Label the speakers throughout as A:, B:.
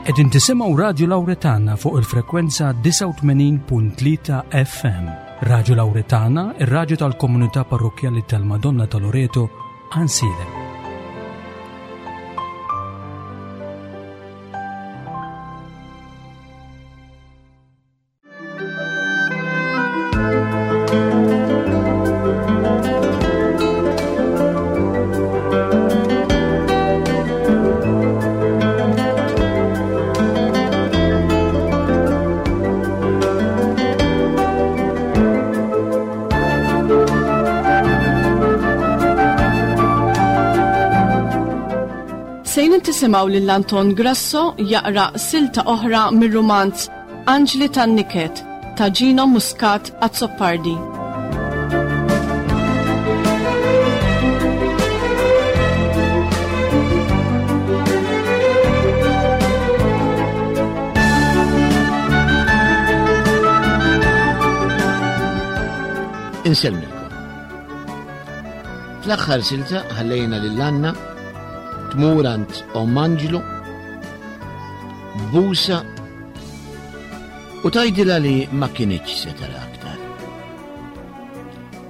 A: Qegħdin tisimgħu Radju Lawretana fuq il-frekwenza 89.3 FM. Radju Lawretana, ir-radju tal-komunità parrokkjali tal-Madonna ta' Loreto, Ansilem.
B: Sejrin tisimgħu lil Anton Grasso jaqra silta oħra mir-rumanz Anġli tan-Niket ta' Gino Muscat Azzopardi.
C: Insellmilkom. Fl-aħħar silta ħallejna lil Anna tmur għand Omm Anġlu busa u tgħidilha li ma kinitx se tara aktar.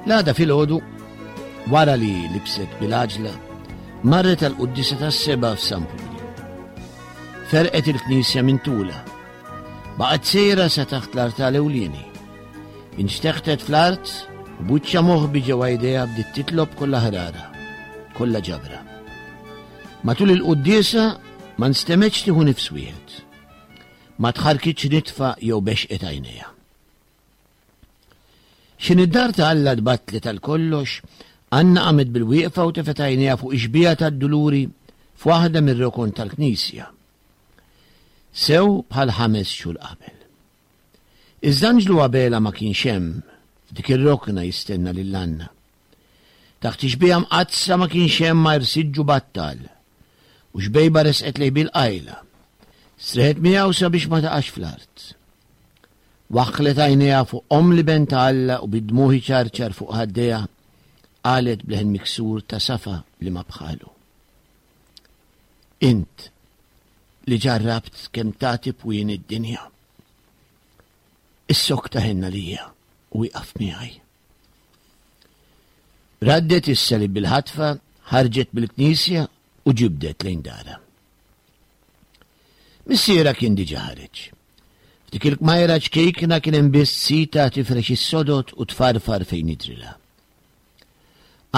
C: L-għada filgħodu, wara li libset bil-għaġla, marret għal quddisa tas-seba f'San Puli. Ferqet il-knisja minn tula. Baqgħet sejra sa taħt l-artal ewlieni. Inxteħtet fl-art u buċċa moħbi ġewwa idejha bdiet titlob kollha ħrara, kollha ġabra. Matul il-quddiesa ma nstemgħetx tieħu nifs wieħed. Ma tħarkitx nitfa jew bexqet għajnejha. X'in id-dar ta' Alla tbattlet għal kollox, Anna qamet bil-wieqfa u tefgħet għajnejha fuq ix-xbieha tad-Duluri f'waħda mir-rokon tal-knisja. Sew bħal ħames xhur qabel. Iżda Anġlu Abela ma kienx hemm f'dik ir-rokna jistenna lil Anna. Taħt ix-xbieha mqaddsa ma kienx hemm għajr siġġu battal u xbejba resqet lejh bil-qajla. Streħet miegħu sabiex ma taqax fl-art. Waħħlet għajnejha fuq omm l-Iben ta' Alla u bid-dmugħ iċarċar fuq ħaddejha qalet b'leħen miksur ta' safa li ma bħalu. Int li ġarrabt kemm tagħti pwien id-dinja. Issokta ħenna lija u ieqaf miegħi. Raddet is-salib bil-ħatfa, ħarġet mill-knisja u ġibdet lejn darha. Missierha kien diġà ħareġ. F'dik il-kmajra ċkejkna kien hemm biss sita tifrex is-sodod u tfarfar fejn jidrilha.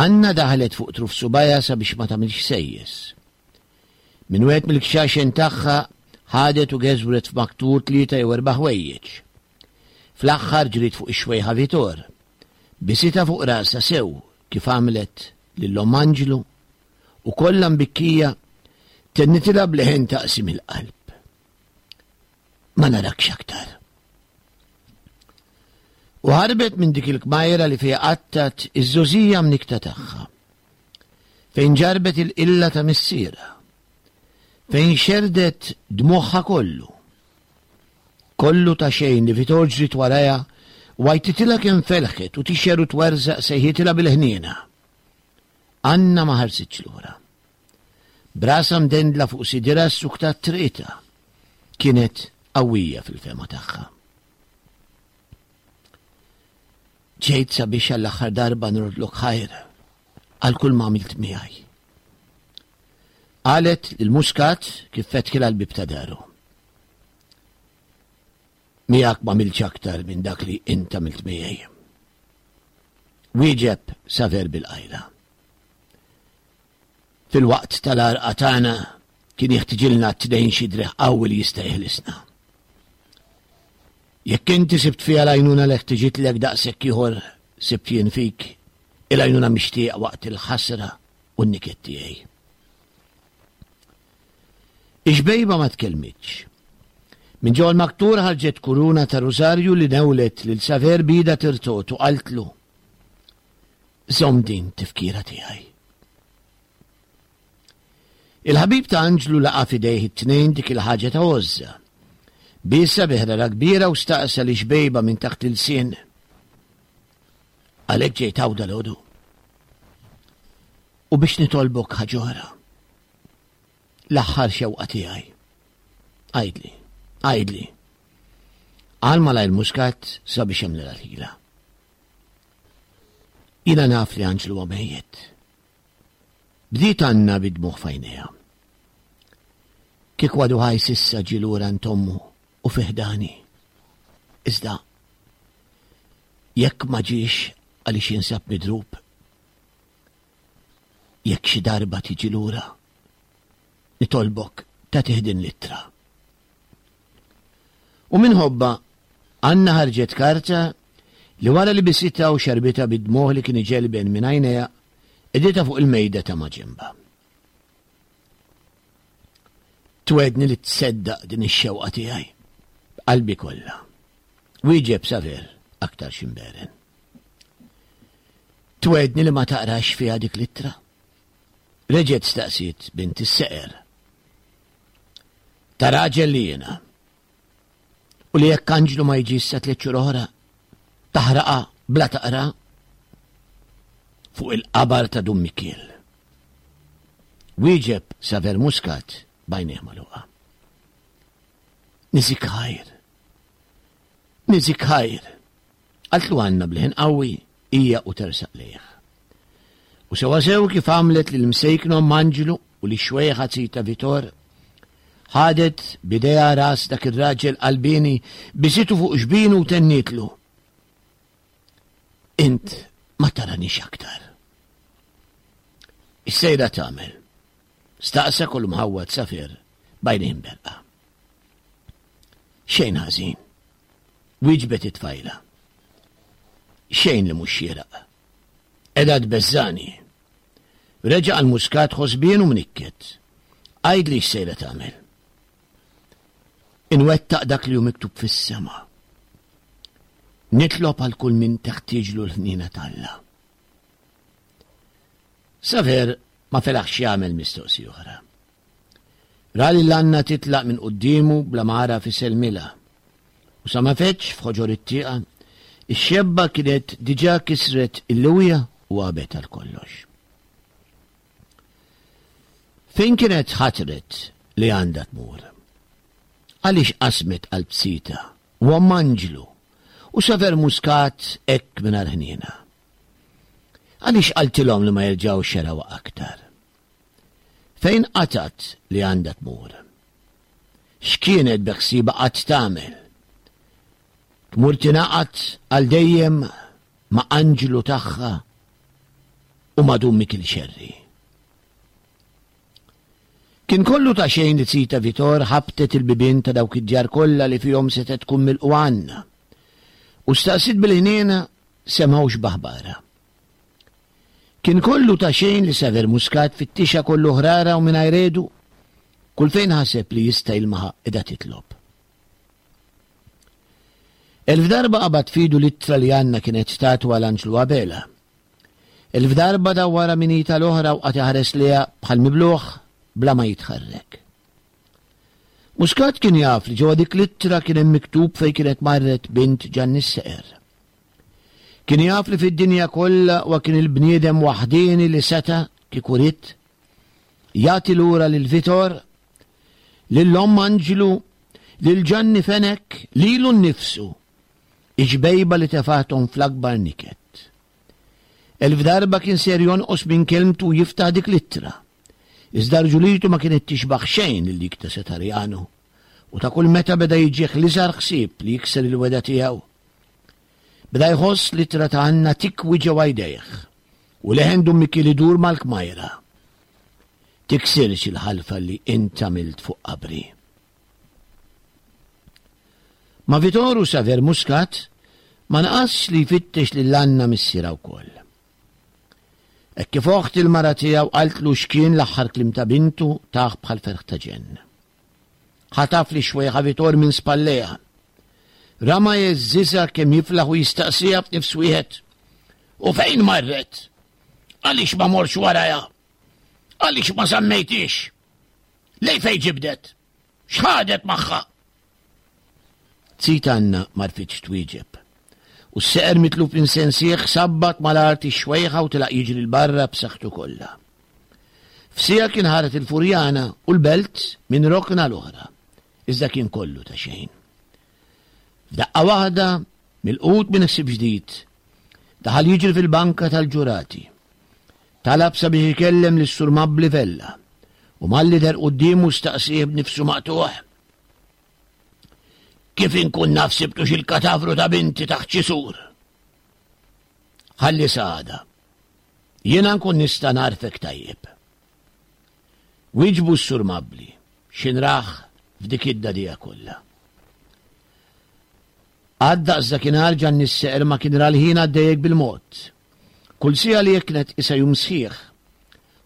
C: Anna daħlet fuq truf subajha sabiex ma tagħmilx sejjes. Minn wieħed mill-kxaxen tagħha ħadet u geżwret f'maktur tlieta jew erba' ħwejjeġ. Fl-aħħar ġriet fuq ix-xwejħa Vitor. Bisitha fuq rasha sew kif għamlet lil omm Anġlu u kollha mbikkija tennitilha b'leħen ta' qsim il-qalb. Ma narakx aktar. U ħarbet minn dik il-kmajra li fiha qattat iż-żożija mnikta tagħha. Fejn ġarbet il-qilla ta' missierha. Fejn xerdet dmugħha kollu. Kollu ta' xejn li Vitor ġriet warajha u għajtitilha kemm felħet u tixher u twerżaq sejħitilha bil-ħniena. Anna ma ħarsitx lura. Brasha mdendla fuq sidirha ssuktat triqitha. Kienet qawwija fil-fehma tagħha. Ġejt sabiex għall-aħħar darba nrodlok ħajr għal kull ma għamilt miegħi. Qalet lil Muscat kif fetħilha l-bieb ta' daru. Miegħek ma għamiltx aktar minn dak li int għamilt miegħi. Wieġeb Saver bil-qajla. Fil-waqt tal-għarqa tagħna kien jeħtiġilna t-tnejn xi driegħ qawwi li jista' jeħlisna. Jekk inti sibt fiha l-għajnuna li ħtiġitlek daqshekk ieħor sibt jien fik il-għajnuna mixtieqa waqt il-ħasra u n-niket tiegħi. Ix-xbejba ma tkellmitx. Minn ġewwa l-maktur ħarġet kuruna ta' rużarju li newlet lil Saver b'idha tirtot u qaltlu, Żomm din tifkira tiegħi. Il-ħabib ta' Anġlu laqa' f'idejh it-tnejn dik il-ħaġa ta' għożża. Biesha bi ħrara kbira u staqsa li xbejba minn taħt l-ilsien. Għalhekk ġejt hawn dalgħodu. U biex nitolbok ħaġa oħra. L-aħħar xewqa tiegħi. Għidli, għidli. Qal malajr Muscat sabiex jagħmlilha l-ħila. Jiena naf li Anġlu huwa mejjet. Bdiet Anna bid-dmugħ f'għajnejha. Kieku għadu ħaj s'issa ġie lura għand ommu u fi ħdani. Iżda, jekk ma ġiex għaliex jinsab midrub, jekk xi darba tiġi lura, nitolbok tagħtih din l-ittra. U minħobba, Anna ħarġet karta li wara li bisitha u xarbitha bid-dmugħ li kien iġelben minn għajnejha, qegħditha fuq il-mejda ta' maġenbha. Twegħedni li tseddaq din ix-xewqa tiegħi b'qalbi kollha. Wieġeb Saver aktar ximberen. Twegħedni li ma taqrax fiha dik l-ittra? Reġgħet staqsiet bint is-seqer. Ta' raġel li jiena. U li jekk Anġlu ma jiġi sa tliet xhur oħra, taħraqa bla taqra fuq il-qabar ta' Dun Mikiel. Wieġeb Saver Muscat b'għajnejh magħluqa. Niżik ħajr. Niżik ħajr. Qaltlu Anna b'leħen qawwi hija u tersaq lejh. U sewwasew kif għamlet lil msejkna omm Anġlu u lix-xwejħa Zita Vitor, ħadet b'idejha ras dak ir-raġel qalbieni, bisitu fuq xbinu u tennietlu, Int ma taranix aktar. X'sejra tagħmel? Staqsa kull mħawwad Safir b'għajnejn berqa. Xejn ħażin. Wieġbet it-tfajla. Xejn li mhux xieraq. Qiegħda tbeżżagħni. Reġa' għal Muscat ħosbien u mnikket. Għidli x'sejra tagħmel. Inwettaq dak li hu miktub fis-sema. Nitlob għal kull min teħtieġlu l-ħniena t'Alla. Saver ma felaħx jagħmel mistoqsija oħra. Ra lil Anna titlaq minn quddiemu bla ma għaraf isellmilha. U sa ma feġġ f'ħoġor it-tieqa, ix-xebba kienet diġà kisret il-liwja u għabet għal kollox. Fejn kienet ħatret li għandha tmur? Għaliex qasmet qalb Sita u omm Anġlu u Saver Muscat hekk mingħajr ħniena? Għaliex qaltilhom li ma jerġgħux jarawha aktar? Fejn qatgħet li għandha tmur? X'kienet beħsiebha qatt tagħmel? Tmur tingħaqad għal dejjem ma' anġlu tagħha u ma' Dun Mikil Xerri. Kien kollu ta' xejn li Zita Vitor ħabtet il-bibien ta' dawk id-djar kollha li fihom setgħet tkun milqugħa Anna u staqsiet bil-ħniena semgħux b'aħbarha. Kien kollu ta' xejn li Saver Muscat fittixha kollu ħrara u mingħajr għedu, kull fejn ħaseb li jista' jilmaħha qiegħda titlob. Elf darba qabad f'idu l-ittra li Anna kienet tatu għal Anġlu Abela. Elf darba dawwarha minn id għal oħra u qagħad iħares lejha bħal mibluh bla ma jitħarrek. Muscat kien jaf li ġewwa dik l-ittra kien hemm miktub fejn kienet marret bint Ġanni s-Seqer. Kien jaf li fid-dinja kollha huwa kien il-bniedem waħdieni li seta', kieku ried, jagħti lura lil Vitor, lil omm Anġlu, lil Ġanni Fenech, lilu nnifsu, ix-xbejba li tefgħathom fl-akbar niket. Elf darba kien ser jonqos minn kelmtu u jiftaħ dik l-ittra. Iżda rġulitu ma kienet tixbaħ xejn lil dik ta' Setarjano, u ta' kull meta beda jiġih l-iżgħar ħsieb li jikser il-wegħda tiegħu, Beda jħoss l-ittra ta' Anna tikwi ġewwa jdejh u leħen Dun Mikiel idur mal-kmajra. Tiksirx il-ħalfa li int għamilt fuq qabri. Ma' Vitor u Saver Muscat ma naqasx li jfittex lil Anna missierha wkoll. Hekk kif oħt il-mara tiegħu qaltlu x'kien l-aħħar kliem ta' bintu tah bħal ferħ ta' ġenn. Ħataf lix-xwejħa Vitor minn spallejha. Rama jgħeżżiżha kemm jiflaħ u jistaqsiha f'nifs wieħed. U fejn marret? Għaliex ma morx warajha? Għaliex ma żammejtix? Lej fejn ġibdet? X'ħadet magħha? Zita Anna ma rfitx twieġeb. U s-seqer mitluf minn sensih sabbat mal-art ix-xwejħa u telaq jiġri 'l barra b'saħħtu kollha. F'siegħa kien ħaret il-Furjana u l-Belt minn rokna għal oħra. Iżda kien kollu ta' xejn. F'daqqa waħda, milqut minn ħsieb ġdid, daħal jiġri fil-banka tal-ġurati. Talab sabiex ikellem lis-Sur Mabli Vella u malli deher quddiemu staqsieh b'nifsu maqtugħ. Kif inkun naf sibtux il-katavru ta' binti taħt xi sur? Ħalli sa għada. Jiena nkun nista' nagħrfek tajjeb. Wieġbu s-Sur Mabli, x'inrah f'dik id-dagħdigħa kollha. Għad daqs dakinhar Ġanni s-Seqer ma kien ra l-ħin għaddej hekk bil-mod. Kull siegħa li hekk kienet qisha jum sħiħ.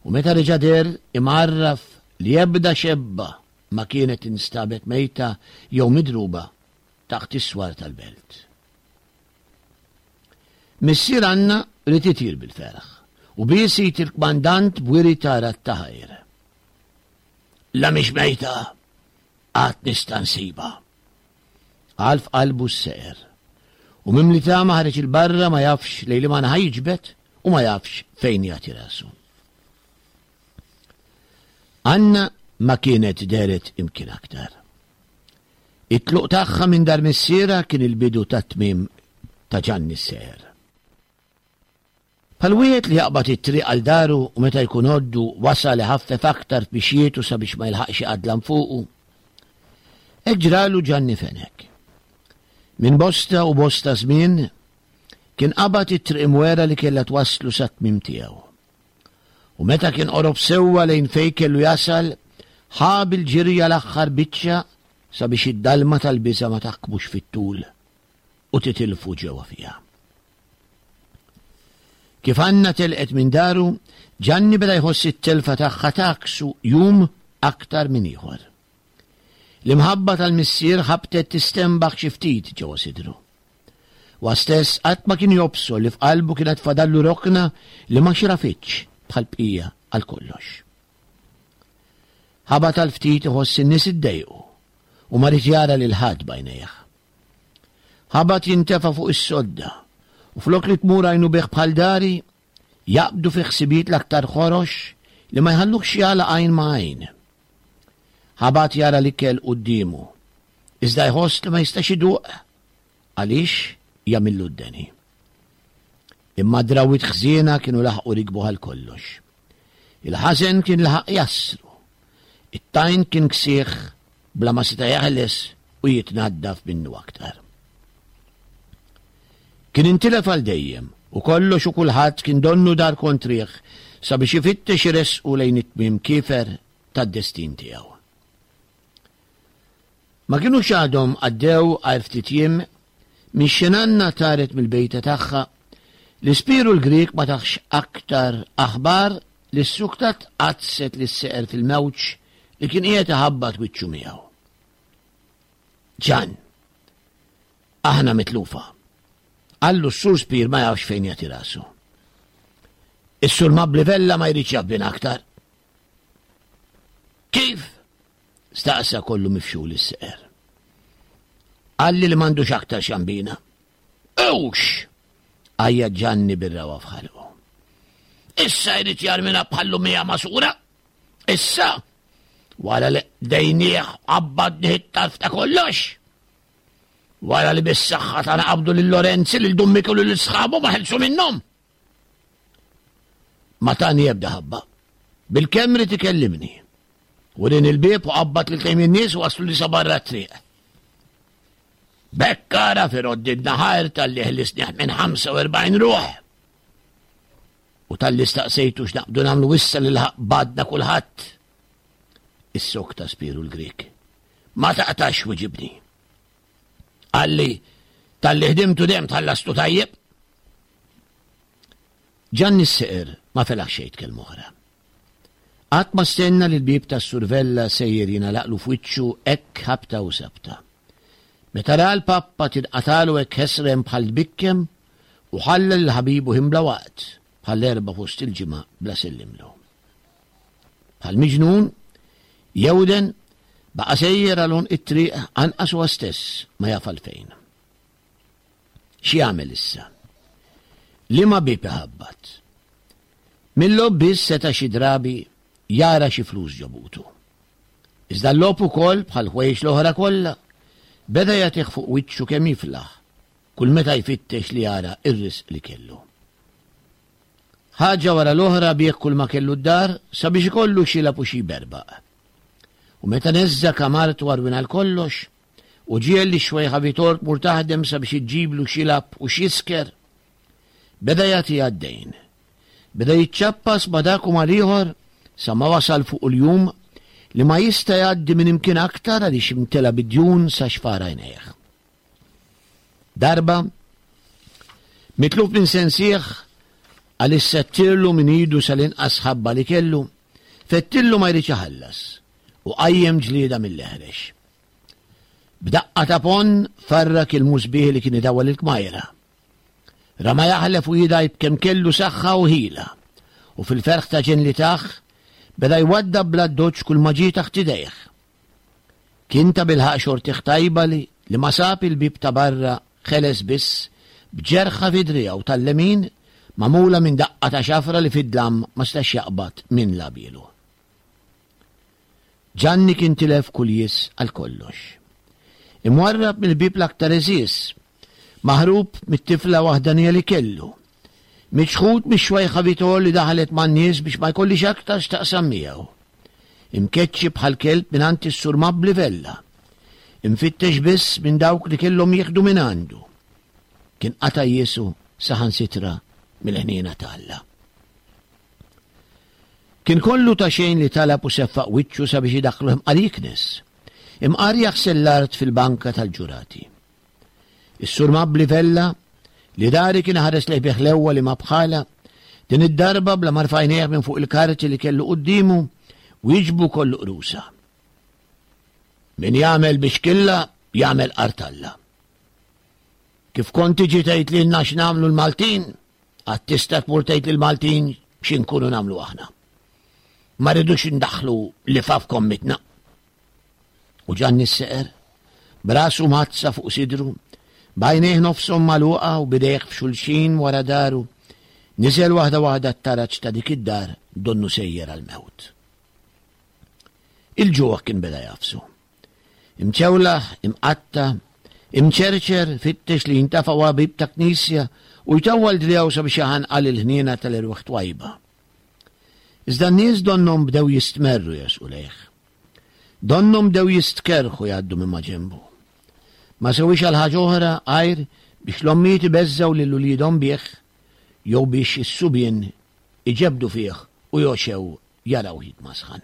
C: U meta reġa' deher imgħarraf li ebda xebba ma kienet instabet mejta jew midruba taħt is-swar tal-belt. Missier Anna ried itir bil-ferħ u bies id il-kmandant b'wiri ta' radd ta' ħajr. La mhix mejta, għad nista' nsibha. Qal f'qalbu s-seqer. U mimli tama ħareġ 'il barra ma jafx lejn liema naħa jiġbed u ma jafx fejn jagħti rasu. Anna ma kienet dehret imkien aktar. It-tluq tagħha minn dar missierha kien il-bidu tat-tmiem ta' Ġanni s-Seher. Bħal wieħed li jaqbad it-triq għal daru u meta jkun għoddu wasal iħaffef aktar f'mixjietu sabiex ma jilħaqx iqadlam fuqu. Hekk ġralu Ġanni Fenech. Minn bosta u bosta żmien kien qabad it-triq imwera li kellha twasslu sat-tmiem tiegħu. U meta kien qorob sewwa lejn fejn kellu jasal, ħa bil-ġirja l-aħħar biċċa sabiex id-dalma tal-biża' ma taħkmux fit-tul u titilfu ġewwa fiha. Kif Anna telqet minn daru, Ġanni beda jħoss it-telfa tagħha tgħakksu jum aktar minn ieħor. L-imħabba tal-missier ħabtet tistenbaħ xi ftit ġewwa sidru. Huwa stess qatt ma kien jobsor li f'qalbu kienet fadallu rokna li ma xrafitx bħall-bqija għal kollox. Ħabat għal ftit iħoss in-nies iddejqu u ma ried jara lil ħadd b'għajnejh. Ħabat jintefa' fuq is-sodda u flok li tmur għajnu bih bħal dari, jaqbdu fi ħsibijiet l-aktar ħorox li ma jħalluhx jagħlaq għajn ma' għajn. Ħabat jara l-ikel quddiemu, iżda jħoss li ma jistax iduq għaliex jagħmillu d-deni. Imma d-drawwiet ħżiena kienu laħqu rikbu għal kollox. Il-ħażen kien laħaq jassru. It-tajn kien ksieħ bla ma seta' jeħles u jitnaddaf minnu aktar. Kien intilef għal dejjem u kollox u kulħadd kien donnu dar kontrih sabiex ifittex iressqu lejn it-tmiem kiefer tad-destin tiegħu. Ma kinux għadhom għaddew għajr ftit jiem minn x'Anna taret mill-bejta tagħha li Spiru l-Grieg ma taħx aktar aħbar li ssuktat qaddset lis-seqer fil-mewġ li kien qiegħed iħabbat wiċċu miegħu. Ġan, aħna mitlufa. Qallu s-Sur Spir ma jafx fejn jagħti rasu. Is-Sur Mabli Vella ma jridx jaf bina aktar. Kif? Staqsa kollu mifxul is-seqer. Qalli li m'għandux aktar xambina. Ewx! Għajjat Ġanni bir-ragħwa f'ħalqu. Issa jrid jarmina bħal lumija masura? Issa? Wara li qdejnieh qabbadnih it-tarf ta' kollox? Wara li bis-saħħa tagħna qabdu lil Lorenzi, lil Dun Miklu lil sħabu ma ħelsu minnhom? Ma tani ebda ħabba. Bil-kemm rid ikellimni. Urin il-bieb u qabbad lil tejn in-nies u waslu li sa barra t-triq. B'hekk għaraf iroddidna ħajr talli ħlisnih minn 45 ruħ. U talli staqsejtu x'naqbdu nagħmlu issa li laħaq badna kulħadd. Is-sokta Spiru l-Grieg. Ma taqtax wiġibni. Qalli talli ħdimtu dejjem tħallastu tajjeb. Ġanni s-seqer ma felaħ xejn kelma oħra. Qatt ma stenna li l-bieb tas-Sur Vella sejjer jingħalaqlu f'wiċċu hekk ħabta u sabta. Meta ra l-pappa tinqatagħlu hekk ħesrem bħal tbikkem u ħalla lil ħabibu ħin bla waqt, bħall-Erbgħa fost il-ġimgħa bla sellimlu. Bħal miġnun, jewden, baqa' sejjer għal għonq it-triq anqas huwa stess ma jaf għalfejn. X'jagħmel issa? Liema bieb iħabbat? Mill-logħob biss seta' xi drabi jara xi flus ġo butu. Iżda l-logħob ukoll, bħall-ħwejjeġ l-oħra kollha, beda jagħtih fuq wiċċu kemm jiflaħ, kull meta jfittex li jara r-risq li kellu. Ħaġa wara l-oħra biegħ kull ma kellu d-dar sabiex ikollu x'jilgħab u xi jberbaq. U meta neżża' kamartu għarwien għal kollox, u ġiegħel lix-xwejħa Vitor tmur taħdem sabiex iġġiblu x'jilgħab u x'jisker, beda jagħtiha d-dejn. Beda jiċċappas ma' dak u mal-ieħor sa ma wasal fuq il-jum li ma jista' jgħaddi minn imkien aktar għaliex imtela bid-djun sa xfar għajnejh. Darba, mitluf minn sensih għaliex settirlu minn idu sal-inqas ħabba li kellu, fettillu ma jridx iħallas u qajjem ġlieda mill-eħrex. B'daqqa ta' ponn farrak il-musbieħ li kien idawwal il-kmajra. Rama jaħlef u jidgħi b'kemm kellu saħħa u ħila, u fil-ferħ ta' ġenn li tah, beda jwaddab bl-addoċċ kull ma ġie taħt idejh. Kien tabilħaqq xortih tajba li li ma sab il-bieb ta' barra ħeles biss b'ġerħa fi driegħu tal-lemin magħmula minn daqqa ta' xafra li fid-dlam ma setax jaqbad min labielu. Ġanni kien tilef kull jies għal kollox. Imwarrab mill-ħbieb l-aktar għeżież, maħrub mit-tifla waħdanija li kellu, miċħud mix-xwejħa Vitor li daħlet man-nies biex ma jkollhiex aktar x'taqsam miegħu. Imkeċċi bħal kelb mingħand is-Sur Mabbli Vella. Imfittex biss minn dawk li kellhom jieħdu mingħandu. Kien qata' jiesu saħansitra mill-ħniena ta' Alla. Kien kollu ta' xejn li talab u seffaq wiċċu sabiex idaħħlu imqar jiknes, imqar jaħsel l-art fil-banka tal-ġurati. Is-Sur Mabbli Vella, li dari kien iħares lejh bi ħlewwa li ma bħalha, din id-darba bla ma rfa' għajnejh minn fuq il-karti li kellu quddiemu, wieġbu kollu qrusa. Min jagħmel biex killa, jagħmel qartalla. Kif kont tiġi tgħid lilna x'nagħmlu l-Maltin, Għad tista' tmur tgħid lill-Maltin xi nkunu nagħmlu aħna. Ma rridux indaħħlu lifa f'kommitna. U Ġanni s-seqer, b'rasu mgħaddsa fuq sidru, b'għajnejh nofshom magħluqa u b'idejh f'xulxin wara daru, niżel waħda waħda t-taraġ ta' dik id-dar donnu sejjer għall-mewt. Il-ġuħ kien beda jagħfsu. Imċewlaħ, imqatta', imċerċer, fittex li jintafa' wara bieb ta' knisja u jtawwal driegħu sabiex jaħanqal il-ħniena tal-erwieħ twajba. Iżda n-nies donnhom bdew jistmerru jersqu lejh. Donnhom bdew jistkerrħu jgħaddu minn maġenbu. Ma sewiex għal ħaġa oħra għajr biex l-ommijiet ibeżżgħu lil uliedhom bih jew biex is-subien iġebbdu fih u jogħxew jarawh jitmasħan.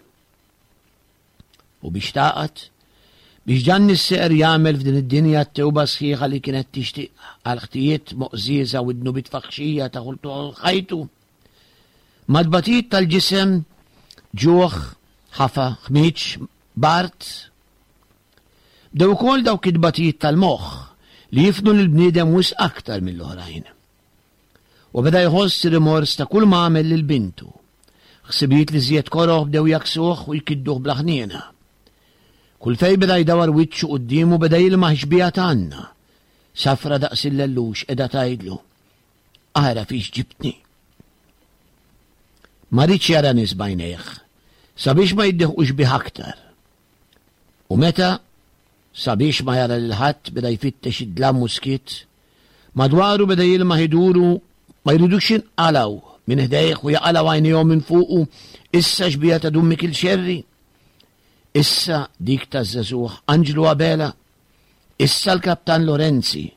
C: U biex tagħqad, biex Ġanni s-Seqer jagħmel f'din id-dinja t-tewba sħiħa li kienet tixtieq għall-ħtijiet moqżieża u d-dnubiet faħxija ta' ħajtu. Mat-tbatijiet tal-ġisem, ġuħ, ħafa, ħmieġ, bard, bdew ukoll dawk it-tbatijiet tal-moħħ li jifnu lill-bniedem wisq aktar mill-oħrajn. U beda jħoss rimors ta' kull ma għamel lil bintu. Ħsibijiet li żjed koroh bdew jagħksuh u jkidduh bla ħniena. Kull fejn beda jdawar wiċċu quddiemu beda jilmaħ ix-xbieha ta' Anna, safra daqs il-lellux qiegħda tgħidlu, Ara fiex ġibtni. Ma riedx jara nies b'għajnejh, sabiex ma jiddeħqux bih aktar. U meta, sabiex ma jara lil ħadd, beda jfittex id-dlam u s-skiet, Madwaru beda jilmaħ iduru ma jridux jinqalgħu minn ħdejh u jaqalgħu għajnejhom minn fuqu issa xbieha ta' Dun Mikil Xerri, issa dik taż-żagħżugħ Anġlu Abela, issa l-Kaptan Lorenzi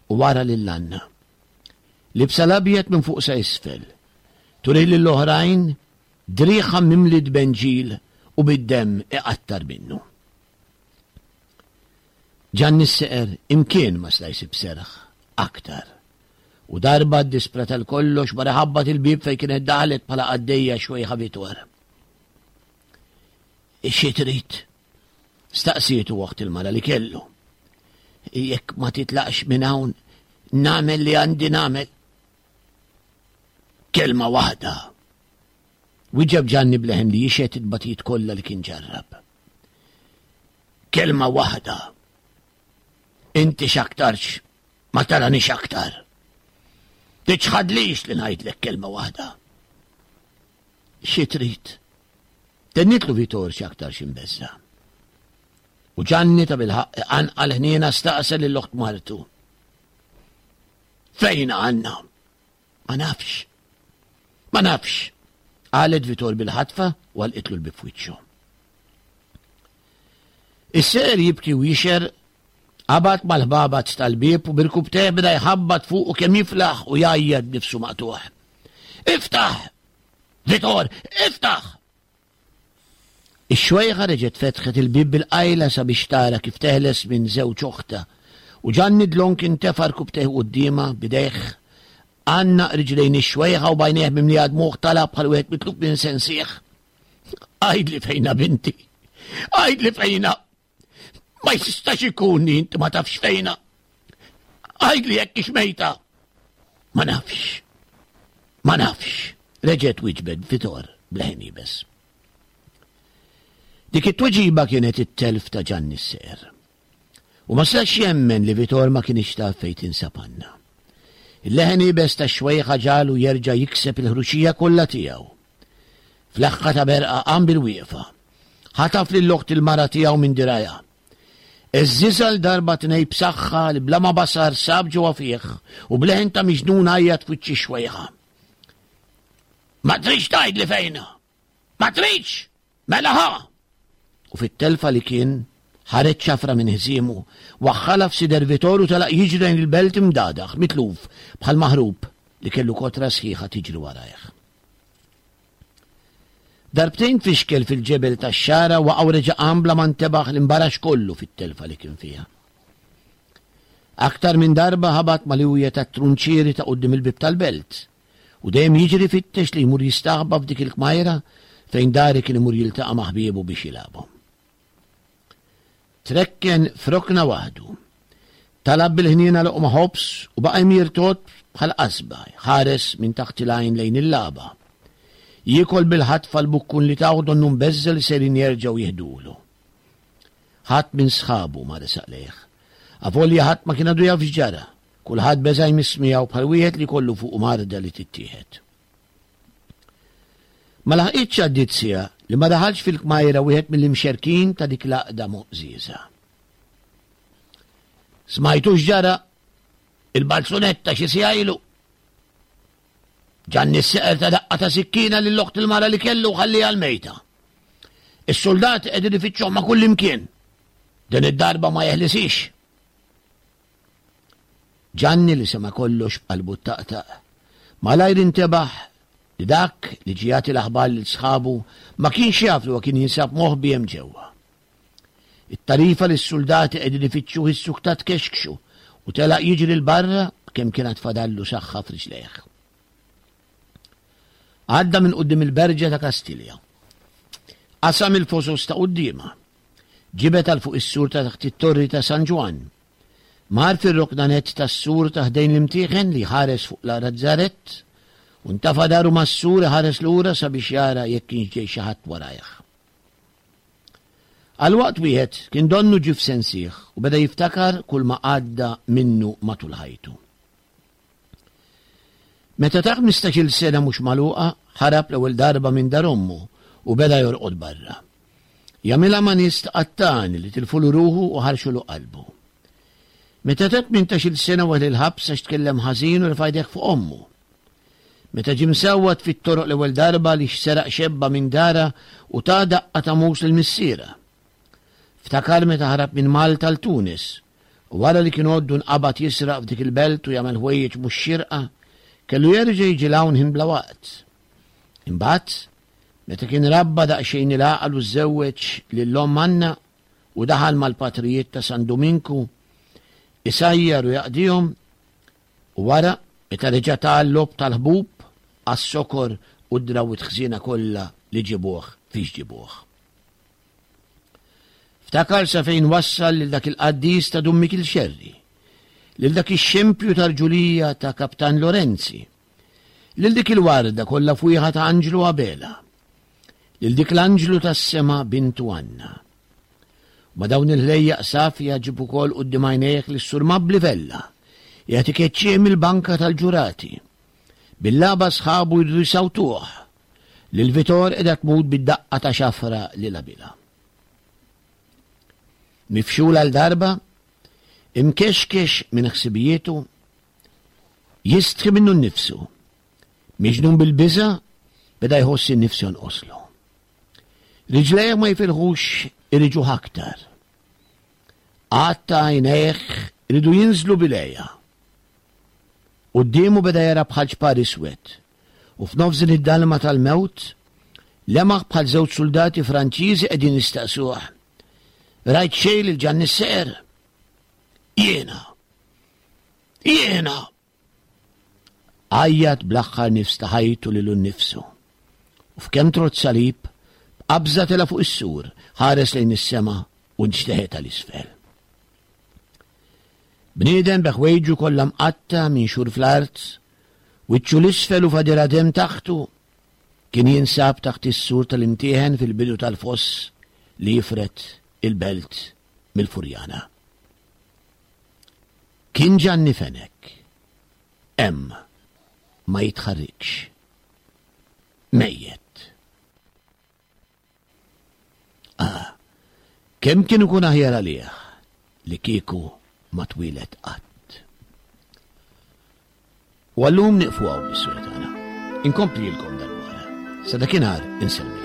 C: u wara lil Anna. Libsa l-abjad minn fuq sa isfel, turih lill-oħrajn driegħha mimli tbenġil u bid-demm iqattar minnu. Ġanni s-seqer imkien ma seta' jsib serħ aktar. U darba ddisprat għal kollox mar iħabbat il-bieb fejn kienet daħlet bħala qaddejja xwejħa Vitor. Xi trid? Staqsietu oħt il-mara li kellu. Jekk ma titlaqx minn hawn, nagħmel li għandi nagħmel. Kelma waħda. Wieġeb Ġanni b'leħen li jixhed it-tbatijiet kollha li kien ġarrab. Kelma waħda. Inti x'aktarx ma taranix aktar. Tiċħadlix li ngħidlek kelma waħda. Xi trid? Tennitlu Vitor x'aktarx imbeżża'. U Ġanni ta' bilħaqq iqanqal ħniena staqsa lil oħt martu. Fejn għandna? Ma nafx. Ma nafx, qalet Vitor bil-ħatfa u għalqitlu l-bib f'wiċċu. Is-ser jibki u jixer qabad mal-ħbabat tal-bieb u birkubteh beda jħabbat fuq u kemm jiflaħ u jgħajjat b'nifsu maqtuħ. Iftaħ! Vitor, iftaħ! Ix-xwejħa reġgħet fetħet il-bieb bil-qajla sabiex tara kif teħles minn żewġ oħtha, u Ġanni dlonk intefa' rkubtejh quddiemha, b'idejh għannaq riġlejn ix-xwejħa u b'għajnejh mimlija dmugħ talab bħal wieħed mitluf minn sensih. Għidli fejnha binti! Għidli fejnha! Ma jistax ikun li inti ma tafx fejna. Għidli jekk ix mejta. Ma nafx. Ma nafx. Reġgħet wieġbet Vitor b'leħen iebes. Dik it-tweġiba kienet it-telf ta' Ġanni s-Seqer. U ma setax jemmen li Vitor ma kienx taf fejn tinsab Anna. Il-leħen iebes tax-xwejħa ġagħlu jerġa' jikseb il-ħruxija kollha tiegħu. F'leħħa ta' berqa qam bil-wieqfa. Ħataf lil oħt il-mara tiegħu minn dirgħajha. Għeżżiżha l darba tnej b'saħħa li bla ma basar sab ġewwa fih u b'leħen ta' miġnun għajjat f'wiċċ ix-xwejħa. Ma tridx tgħidli fejnha! Ma tridx! Mela ħa! U fit-telfa li kien, ħareġ ċafra minn ħżiemu, waħħalha f'sider Vitor u telaq jiġri lejn il-belt imdagħdagħ, mitluf, bħal maħrub li kellu kotra sħiħa tiġri warajh. Darbtejn tfixkel fil-ġebel tax-xagħra waqa' u reġa' qam bla ma ntebaħ li nbarax kollu fit-telfa li kien fiha. Aktar minn darba ħabat mal-iwja tat-trunċieri ta' quddiem il-bieb tal-belt u dejjem jiġri fittex li jmur jistaħba f'dik il-kmajra fejn dari kien imur jiltaqa' ma' ħbiebu biex jilagħbu. Trekken f'rokna waħdu. Talab bil-ħniena loqma ħobż u baqa' jmir tot bħal qasba, jħares minn taħt il-għajn lejn il-lagħba. Jiekol bil-ħatfa l-bukkun li tawh donnu mbeżża' li sejrin jerġgħu jiħdulu. Ħadd minn sħabu ma resaq lejh. Avolja ħadd ma kien għadu jaf x'ġara, kulħadd beża' jmiss miegħu bħal wieħed li jkollu fuqu marda li tittieħed. Ma laħqitx għaddiet siegħa li ma daħalx fil-kmajra wieħed mill-imxerkin ta' dik l-għaqda moqżieża. Smajtu x'ġara? Il-balzunetta xi siegħa ilu. Ġanni s-seqer ta' daqqa ta' sikkina lil oħt il-mara li kellu ħalliha l-mejta. Is-soldati qegħdin ifittxuh ma' kull imkien. Din id-darba ma jeħlisix. Ġanni li sema' kollox b'qalbu ttaqtaq, malajr intebaħ li dak li ġie jagħti l-aħbar lil sħabu ma kienx jaf li huwa kien jinsab moħbi hemm ġewwa. It-tarifa li s-suldati qegħdin ifittxuh issuktat tkexkxu u telaq jiġri 'l barra b'kemm kien għad fadallu saħħa f'riġlejh. Għadda minn quddiem il-berġa ta' Kastilja. Qasam il-fosos ta' quddiemha. Ġibed għal fuq is-sur ta' taħt it-torri ta' San Ġwann. Mar fir-rokna nett tas-sur ta' ħdejn l-imtieħen li jħares fuq l-Razzarett u ntafa' daru mas-sur iħares lura sabiex jara jekk kienx ġej xi ħadd warajh. Għal waqt wieħed kien donnu ġie f'sensih u beda jiftakar kulma għadda minnu matul ħajtu. Meta ta' 15-il sena mhux magħluqa, ħarab l-ewwel darba minn dar ommu u beda jorqod barra. Jagħmilha ma' nies ta' qattani li tilfulu ruħu u ħarxulu qalbu. Meta ta' 18-il sena weħel il-ħabs għax tkellem ħażin u refa' jdejh fuq ommu. Meta ġie msawwat fit-toroq l-ewwel darba għaliex seraq xebba minn darha u ta daqqa ta' mus lil missierha. Ftakar meta ħarab minn Malta għal Tunis u wara li kien għoddu nqabad jisraq f'dik il-belt u jagħmel ħwejjeġ mhux xierqa, kellu jerġa' jiġi 'l hawn ħin bla waqt. Imbagħad, meta kien rabba daqsxejn il-għaqal u żżewweġ lil omm Anna u daħal mal-patrijiet ta' San Duminku, isajjar u jaqdihom, u wara, meta reġa' ta l-logħob tal-ħbub, għas-sokor u d-drawwiet ħżiena kollha li ġibuh fiex ġibuh. Ftakar sa fejn wassal lil dak il-qaddis ta' Dun Mikiel Xerri, lil dak ix-xempju ta' rġulija ta' Kaptan Lorenzi, lil dik il-warda kollha fwieħa ta' Anġlu Abela, lil dik l-anġlu tas-sema bintu Anna. U ma' dawn il-ħlejjaq safja ġib ukoll quddiem għajnejh lis-Sur Mabli Vella, qiegħed ikeċċih mill-banka tal-ġurati. Bil-lagħba sħabu jridu jsawtuh, Lil Vitor qiegħda tmut bid-daqqa ta' xafra li labilha. Mifxul għal darba, imkexkex minn ħsibijietu, jistħi minnu nnifsu. Miġnun bil-biża' beda jħoss in-nifs jonqoslu. Riġlejh ma jifilħux iriġuh aktar. Għadd ta' għajnejh ridu jinżlu bil-għeja. Quddiemu beda jara bħal ċpar iswed u f'nofs din id-dalma tal-mewt lemaħ bħal żewġ suldati Franċiżi qegħdin jistaqsuh. Rajt xejn lil Ġanni Seqer? Jiena! Jiena! Għajjat bl-aħħar nifs ta' ħajtu lilu nnifsu. U f'kemm trott salib, b'qabża tela' fuq is-sur, ħares lejn is-sema u nxteħet għal isfel. Bniedem bi ħwejġu kollha mqatta' minxur fl-art, wiċċu 'l isfel u fadira demm taħtu, kien jinsab taħt is-sur tal-imtieħen fil-bidu tal-foss li jifred il-belt mill-Furjana. Kien Ġanni Fenech. Hemm ma jitħarrikx. Mejjet. Ah, kemm kien ikun aħjar għalih li kieku ma twieled qatt. U għallum niqfu hawn l-istorja tagħna. Inkomplilkom dal-wara. Sa dakinhar insellmilkom.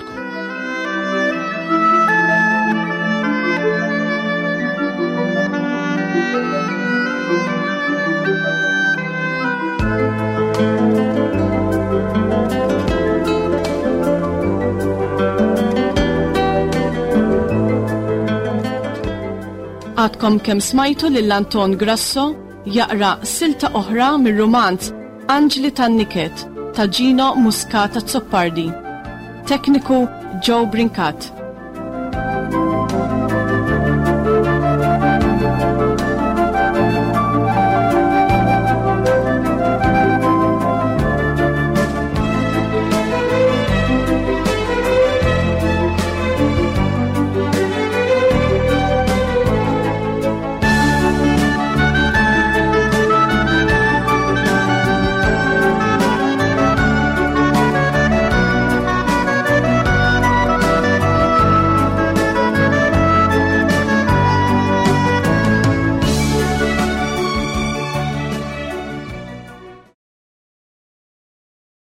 B: Għadkom kemm smajtu lil Anton Grasso jaqra silta oħra mir-rumanz Anġli tan-Niket ta' Gino Muscat Azzopardi. Tekniku Joe Brincat.